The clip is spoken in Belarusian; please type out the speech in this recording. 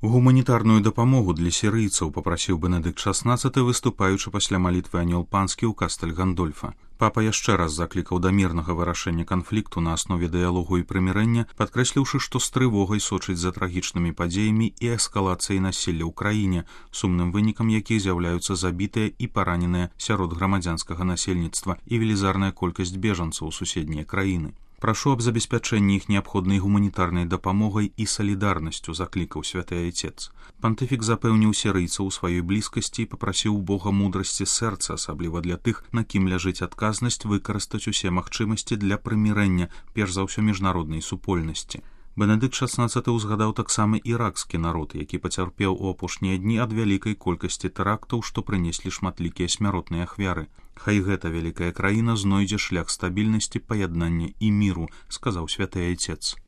Гуманітарную дапамогу для сірыйцаў папрасіў Бенедыкт XVI, выступаючы пасля малітвы анёл панскі ў Кастэль Гандольфа. Папа яшчэ раз заклікаў да мірнага вырашэння канфлікту на аснове дыялогу і прымірэння, падкрэсліўшы, што з трывогай сочыць за трагічнымі падзеямі і эскалацыяй насілля ў краіне, сумным вынікам якіх з'яўляюцца забітыя і параненыя сярод грамадзянскага насельніцтва і велізарная колькасць бежанцаў у суседнія краіны. Прашу аб забеспячэнні іх неабходнай гуманітарнай дапамогай і салідарнасцю, заклікаў святы айцец. Пантыфік запэўніў сірыйцаў у сваёй блізкасці і папрасіў Бога мудрасці сэрца, асабліва для тых, на кім ляжыць адказнасць выкарыстаць усе магчымасці для прымірэння, перш за ўсё міжнароднай супольнасці. Бенедыкт XVI узгадаў таксама іракскі народ, які пацярпеў у апошнія дні ад вялікай колькасці тэрактаў, што прынеслі шматлікія смяротныя ахвяры. Хай гэта вялікая краіна знойдзе шлях стабільнасці, паяднання і міру, сказаў святы айцец.